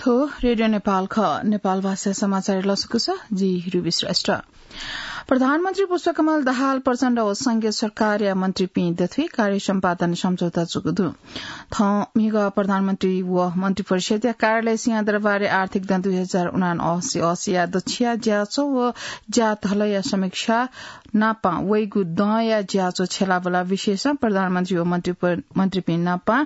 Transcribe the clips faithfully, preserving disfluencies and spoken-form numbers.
रेडियो नेपाल खः। नेपाल भाषा समाचार लसकुस, जि रुबी श्रेष्ठ। प्रधानमन्त्री पुष्पकमल दाहाल प्रचण्ड व संघीय सरकारया मन्त्रीपिं दथुइ कार्य सम्पादन सम्झौता जूगु दु। थौं म्हिगः प्रधानमन्त्री व मन्त्रिपरिषदया कार्यालय सिंहदरबारय् आर्थिक दँ दुई हजार उनासी असीया दछिया ज्याझ्वः व ज्याधलया समीक्षा नापं वइगु दँया ज्याझ्वः छ्यलाबला विषयसं प्रधानमन्त्री व मन्त्री प-, मन्त्रीपिं नापं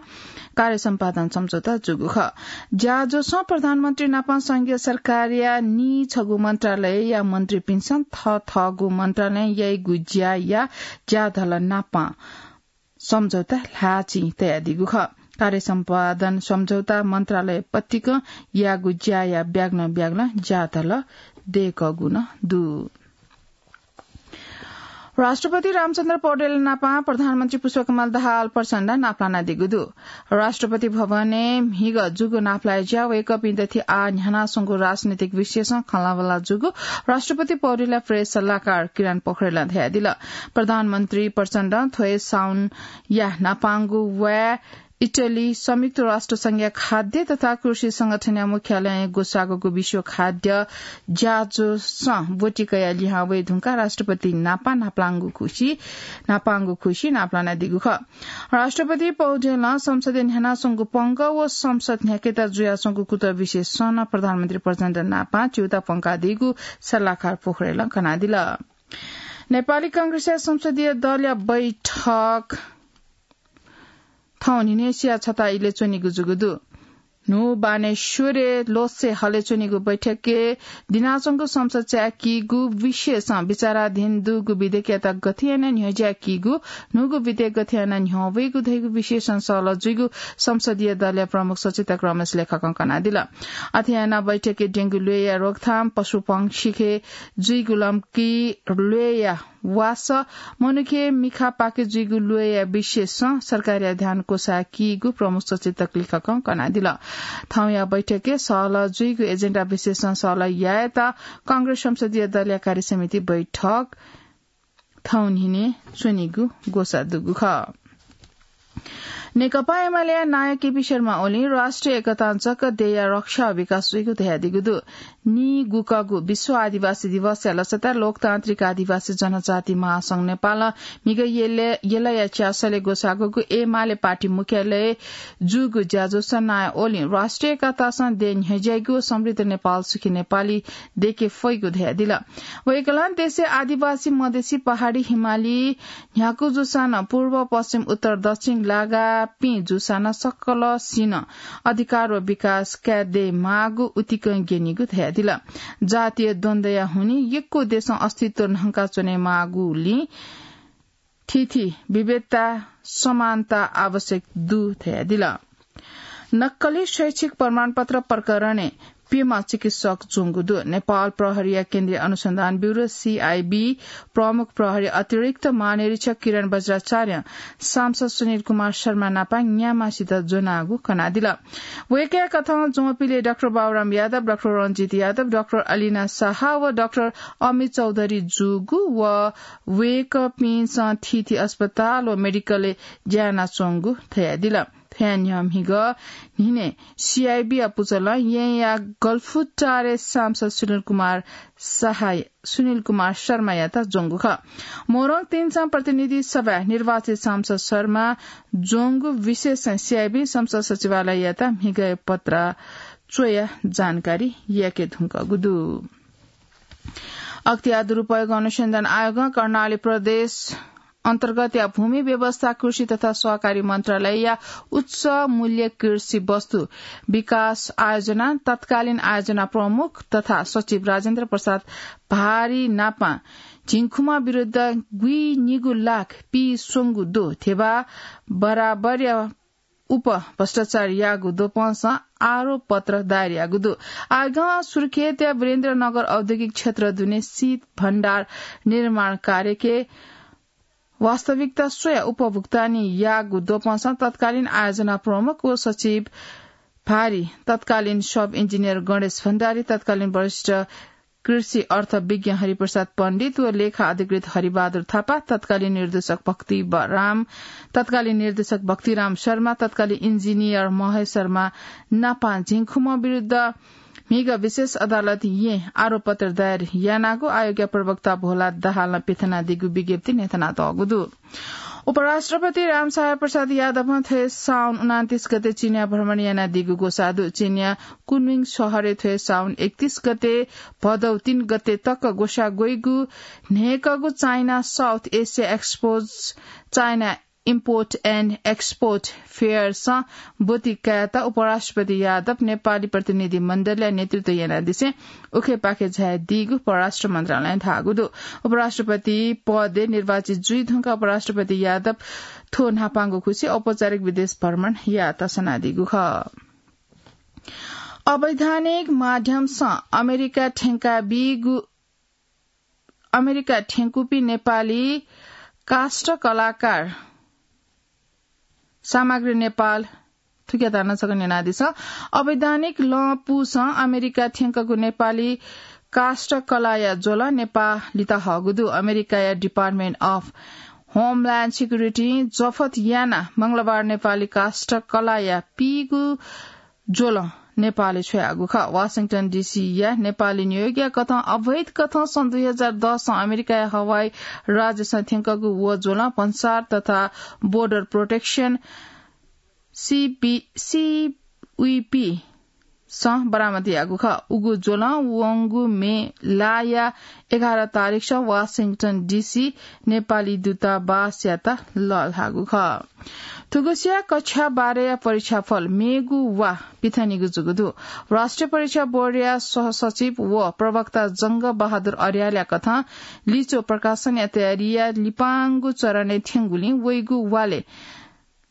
कार्य सम्पादन सम्झौता जूगु खः। ज्याझ्वःसं प्रधानमन्त्री नापं संघीय सरकारया नीछगू मन्त्रालयया मन्त्रीपिन्सं थःथःगु मन्त्रालयं याइगु ज्याया ज्याधल नापं सम्झौता ल्हाःचिं तयादीगु खः। कार्य सम्पादन सम्झौता मन्त्रालय पतिकं याःगु ज्याया ब्यागलं ब्यागलं ज्याधल दय्कःगु नं दु। राष्ट्रपति रामचन्द्र पौडेल नापं प्रधानमन्त्री पुष्पकमल दाहाल प्रचण्ड नापलानादीगु दु। राष्ट्रपति भवनय् म्हिगः जूगु नापलाये ज्या वय्कःपिं दथुइ आः न्ह्यानाच्वंगु राजनीतिक विषयसं खँल्हाबल्हा जूगु राष्ट्रपति पौडेलया प्रेस सल्लाहकार किरण पोखरेलं धयादिल। प्रधानमन्त्री प्रचण्डं थ्व हे साउनया न्हापांगु वाय् इटली संयुक्त राष्ट्र संघया खाद्य तथा कृषि संगठनया मुख्यालयं ग्वसाःगु विश्व खाद्य ज्याझ्वःसं ब्वति कयाः लिहां वये धुंकाः राष्ट्रपति नापं नापलांगु खुसि, नापलानादीगु खः। राष्ट्रपति पौडेलं संसदय् न्ह्यानाच्वंगु पंगः व संसद न्ह्याकेत जुयाच्वंगु कुतः विषयसं नं प्रधानमन्त्री प्रचण्ड नापं च्यूताः प्वंकादीगु सल्लाहकार पोखरेलं कनादिल। नेपाली कांग्रेसया संसदीय दलया बैठक थौं न्हिनय्सिया छता इलय् च्वनीगु जूगु दु। न्हू बानेश्वरय् लोत्से हलय् च्वनीगु बैठकय् दिनाच्वंगु संसद चाय्कीगु विषयसं विचाराधीन दुगु विधेयकयात गथे यानाः न्ह्यज्याकीगु, न्हूगु विधेयक गथे यानाः न्ह्यः वइगु धइगु विषयसं सहलह जुइगु संसदीय दलया प्रमुख सचेतक रमेश लेखकं कनादिल। अथे यानाः बैठकय् डेंगु ल्वय्या रोकथाम, पशुपंक्षीके जुइगु लम्की ल्वय्या वासः, मनूके मिखा पाके जुइगु ल्वय्या विषयसं सरकारया ध्यान क्वसाकीगु प्रमुख सचेतक लेखकं कनादिल। थौंया बैठकय् सहलह जुइगु एजेन्डा विषयसं सहलह यायेत कांग्रेस संसदीय दलया कार्यसमिति बैठक थौं न्हिनय् च्वनीगु ग्वसाः दुगु खः। नेकपा एमालेया नायः केपी शर्मा ओलीं राष्ट्रिय एकतां जक देय्‌या रक्षा व विकास जुइगु धयादीगु दु। नीगुकगु विश्व आदिवासी दिवसया लसताय् लोकतान्त्रिक आदिवासी जनजाति महासंघ नेपालं म्हिगः यलय्, यलया च्यासलय् ग्वसाःगु एमाले पार्टी मुख्यालयय् जूगु ज्याझ्वलय् नायः ओलीं राष्ट्रिय एकतासं देय् न्ह्यज्याइगु व समृद्ध नेपाल सुखी नेपाली दयेके फइगु धयादिल। वय्‌कलं देशय् आदिवासी, मधेसी, पहाडी, हिमाली न्ह्यागु जूसां नं, पूर्व, पश्चिम, उत्तर, दक्षिण लागापिं जूसां नं सकलसिनं अधिकार व विकास काये दयेमाःगु उतिकं ग्यनीगु धयादिल। जातीय द्वन्द्वया हुनिं यक्व देशं अस्तित्व न्हंकाच्वनेमाःगुलिं थीथी विविधता समानता आवश्यक दु धयादिल। नक्कली शैक्षिक प्रमाणपत्र प्रकरणय् प्यम्ह चिकित्सक ज्वंगु दु। नेपाल प्रहरीया केन्द्रीय अनुसन्धान ब्यूरो, सीआईबी, प्रमुख प्रहरी अतिरिक्त महानिरीक्षक किरण बज्राचार्यं सांसद सुनिल कुमार शर्मा नापं न्याम्हसित ज्वनागु कनादिल। वय्‌कःया कथं ज्वंपिले डाक्टर बाबुराम यादव, डाक्टर रञ्जित यादव, डाक्टर अलिना शाह व डाक्टर अमित चौधरी जूगु व वय्‌कःपिन्सं थीथी अस्पताल व मेडिकलय् ज्या यानाच्वंगु धयादिल। थ्वया न्ह्यः म्हिगः न्हिनय् सीआईबीया पुचलं येँया गलफुटारय् सांसद सुनिल कुमार शाह, सुनिल कुमार शर्मायात ज्वंगु खः। मोरङ तिनसं प्रतिनिधि सभाय् निर्वाचित सांसद शर्मा ज्वंगु विषयसं सीआईबीं संसद सचिवालययात म्हिगःया पत्रा च्वयाः जानकारी याके धुंकूगु दु। अख्तियार दुरुपयोग अनुसन्धान आयोगं कर्णाली प्रदेश अन्तर्गतया भूमि व्यवस्था, कृषि तथा सहकारी मन्त्रालयया उच्च मूल्य कृषि वस्तु विकास आयोजना तत्कालीन आयोजना प्रमुख तथा सचिव राजेन्द्र प्रसाद भारी नापं झिंखुमा विरुद्ध गुइनिगू लाख पीस्वंगू द्वः ध्यबा बराबरया उप भ्रष्टाचार याःगु द्वपंसं आरोप पत्र दायर याःगु दु। आयोगं सुर्खेतया वीरेन्द्रनगर औद्योगिक क्षेत्र दुने शीत भण्डार निर्माण कार्यके वास्तविकता स्वयाः उपभुक्तानी याःगु द्वपंसं तत्कालीन आयोजना प्रमुख व सचिव भारी, तत्कालीन सब इन्जिनियर गणेश भण्डारी, तत्कालीन वरिष्ठ कृषि अर्थ विज्ञ हरिप्रसाद पण्डित व लेखा अधिकृत हरिबहादुर थापा, तत्कालीन निर्देशक भक्ति ब-, राम, तत्कालीन निर्देशक भक्तिराम शर्मा, तत्कालीन इन्जिनियर महेश शर्मा नापं झिंखुम्ह विरुद्ध म्हिगः विशेष अदालतं आरोपपत्र दायर यानागु आयोगया प्रवक्ता भोला दाहालं पिथनादीगु विज्ञप्ति न्ह्यथनातःगु दु। उपराष्ट्रपति रामसहाय प्रसाद यादवं थ्व साउन उनान्तीस गते चीनया भ्रमण यानादीगु ग्वसाः दु। चीनया कुनमिङ शहरय् थ्व साउन एकतीस गते भदौ तीन गते तक ग्वसाः ग्वइगु न्हय्कःगु China South Asia Expo, China Import and Export Fair सं ब्वति कायेत उपराष्ट्रपति यादव नेपाली प्रतिनिधि मण्डलया नेतृत्व यानादिसें उखेपाखे झायादीगु परराष्ट्र मन्त्रालयं धाःगु दु। उपराष्ट्रपति पदय् निर्वाचित जुइ धुंकाः उपराष्ट्रपति यादव थ्व न्हापांगु खुसि औपचारिक विदेश भ्रमण यायेत सनादीगु खः। अवैधानिक माध्यमसं अमेरिका थ्यंकाबीगु, अमेरिका थ्यंकूपिं नेपाली काष्ठ कलाकार सामग्री नेपाल थुकियात नं छकः न्यनादिसँ। अवैधानिक लँपुसं अमेरिका थ्यंकूगु नेपाली काष्ठ कलाया ज्वलं नेपालीत हःगु दु। अमेरिकाया Department of Homeland Security जफत यानाः मंगलबार नेपाली काष्ठ कलाया पीगु ज्वलं नेपालय् छ्वयागु खः। वाशिंटन डीसीया नेपाली नियोगया कथं अवैध कथं सन् दुई हजार दसं अमेरिकाया हवाई राज्यसं थ्यंकूगु व ज्वलं भन्सार तथा Border Protection, सीबी, सीबीपी सं बरामद याःगु खः। उगु ज्वलं वंगु मे लाया एघार तारिखसं वाशिंटन डीसी नेपाली दूतावासयात लःल्हाःगु खः। थुगुसिया कक्षा बाह्रया परीक्षाफल मेगु वा पिथनीगु जूगु दु। राष्ट्रिय परीक्षा बोर्डया सहसचिव व प्रवक्ता जंग बहादुर अर्यालया कथं लिच्वः प्रकाशनया तयारीया लिपांगु चरणय् थ्यंगुलिं वइगु वालय्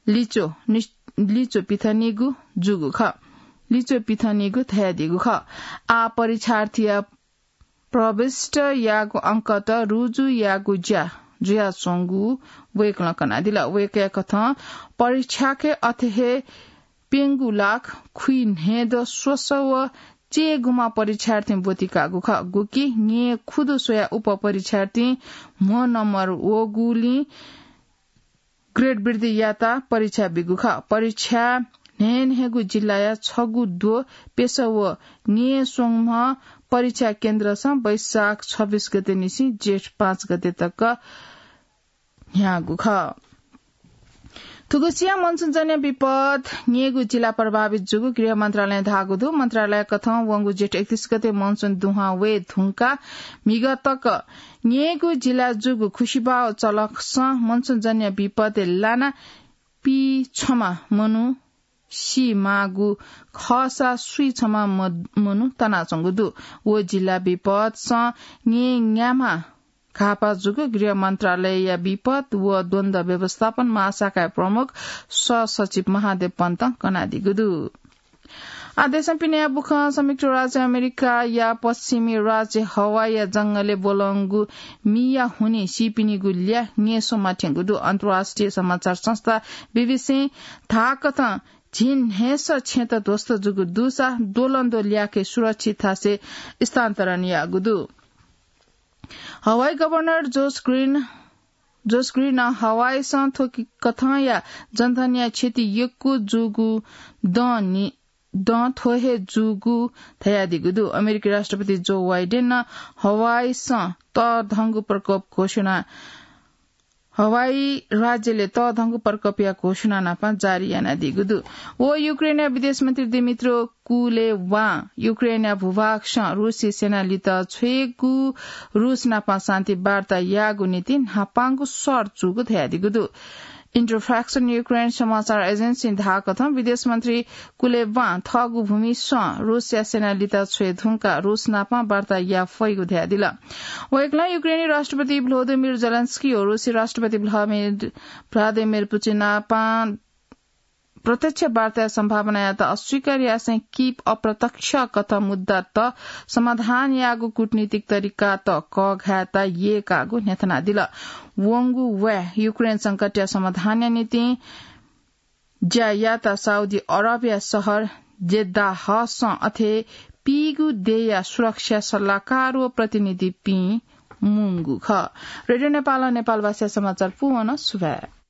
लिच्वः नि-, लिच्वः पिथनीगु जूगु खः। लिच्वः पिथनीगु धयादीगु खः। आः परीक्षार्थीया प्रविष्ट याःगु अंकत रुजु याःगु ज्या जुयाच्वंगु वय्कलं कनादिल। वय्कःया कथं परीक्षाके अथे हे प्यंगू लाख खुइन्हय्दँ स्वसः व चय्गुम्ह परीक्षार्थीं ब्वति काःगु खः। गुकी न्हय् खुदु स्वयाः उप परीक्षार्थीं म्हो नम्बर वःगुलिं ग्रेड वृद्धि याता परीक्षा बीगु खः। परीक्षा न्हय्न्हय्गु जिल्लाया छगू द्वः प्यसः व न्हय्स्वंम्ह परीक्षा केन्द्रसं वैशाख छब्बीस गते निसें जेठ पाँच गते तक न्ह्याःगु खः। थुगुसिया मनसुनजन्य विपद न्हय्गू जिल्ला प्रभावित जूगु गृह मन्त्रालयं धाःगु दु। मन्त्रालय कथं वंगु जेठ एकतीस गते मनसुन दुहां वये धुंकाः म्हिगः तक न्हय्गू जिल्ला जूगु खुसिबाव चलखसं मनसुनजन्य विपदय् लानाः पीछम्ह मनू सी माःगु खःसा स्वीछम्ह म-, मनू तनाच्वंगु दु। व जिल्ला विपदसं न्हय्न्याम्ह घाःपाः जूगु गृह मन्त्रालयया विपद व द्वन्द्व व्यवस्थापन महाशाखाया प्रमुख सहसचिव महादेव पन्तं कनादीगु दु। आः देशं पिने याःगु बुखँ संयुक्त राज्य अमेरिकाया पश्चिमी राज्य हवाईया जंगलय् ब्वलंगु मिया हुनिं सीपिनिगु ल्याः न्यंस्वंम्ह थ्यंगु दु। अन्तर्राष्ट्रिय समाचार संस्था बीबीसीं धाःकथं झिंन्हय्सः छेँत ध्वस्त जूगु दुसा द्वलंद्वः ल्याखय् सुरक्षित थासय् स्थानान्तरण याःगु दु। हवाई गभर्नर जोस ग्रीन, जोस ग्रीनं हवाईसं थ्व कि-, कथंया जनधनया क्षति यक्व जूगु दँ नि-, दँ थ्व हे जूगु धयादीगु दु। अमेरिकी राष्ट्रपति जो बाइडेनं हवाईसं तःधंगु प्रकोप घोषणा, हवाई राज्यले तःधंगु प्रकोपया घोषणा नापं जारी यानादीगु दु। व युक्रेनया विदेश मन्त्री दिमित्रो कुलेवां युक्रेनया भूभागसं रूसी सेना लित छ्वयेगु रूस नापं शान्ति वार्ता यायेगु निंतिं न्हापांगु शर्त जूगु धयादीगु दु। Interfax on Ukraine समाचार एजेन्सीं धाःकथं विदेश मन्त्री कुलेवां थःगु भूमिसं रूसया सेना लित छ्वये धुंकाः रूस नापं वार्ता याये फइगु धयादिल। वय्कलं युक्रेनी राष्ट्रपति भ्लोदिमिर जेलेन्स्की व रूसी राष्ट्रपति भ्लादिमिर, भ्लादिमिर पुतिन नापं प्रत्यक्ष वार्ताया सम्भावनायात अस्वीकार यासें कीव अप्रत्यक्ष कथं मुद्दात समाधान यायेगु कूटनीतिक तरिकात कःघायेत यय्काःगु न्ह्यथनादिल। वंगु वाय् युक्रेन संकटया समाधानया निंतिं ज्या यायेत साउदी अरबया शहर जेद्दाहसं अथे पीगु देय्‌या सुरक्षा सल्लाहकार व प्रतिनिधिपिं मुंगु खः। रेडियो नेपालं नेपालभाषा समाचार पूवन। सुभाय्।